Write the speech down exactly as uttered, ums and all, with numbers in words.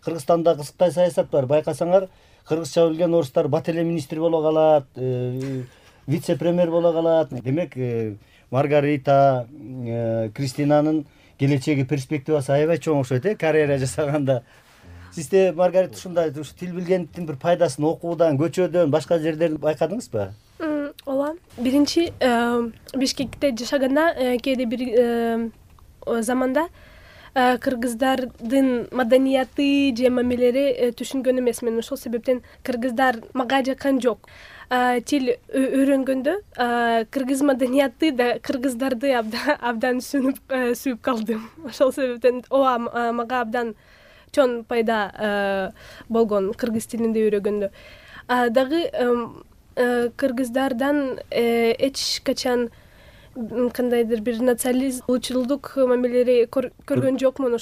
Кыргызстанда кызыктай саясат бар. Байкасаңар, кыргызча билген орустар бат эле министр боло калат, вице-премьер боло калат. Демек, Маргарита, Кристинанын келечеги, перспективасы аябай чоң окшойт, э, карьера жасаганда. Сизде Маргарита ушундай ушу тил билгендиктин бир пайдасын окуудан, көчөдөн, башка жерден байкадыңызбы? Ооба. Биринчи Бишкекте жашаганда кээде бир заманда кыргыздардын маданияты же мамилелери түшүнгөн эмесмин. Ошол себептен кыргыздар мага жаккан жок. Тил үйрөнгөндө кыргыз маданияты да кыргыздарды абдан сүйүнүп сүйүп калдым. Ошол себептен ооба мага абдан чоң пайда болгон кыргыз тилинде үйрөнгөндө. Дагы кыргыздардан эч качан кандайдыр бир национализм, улутчулдук мамилелери көргөн жокмун.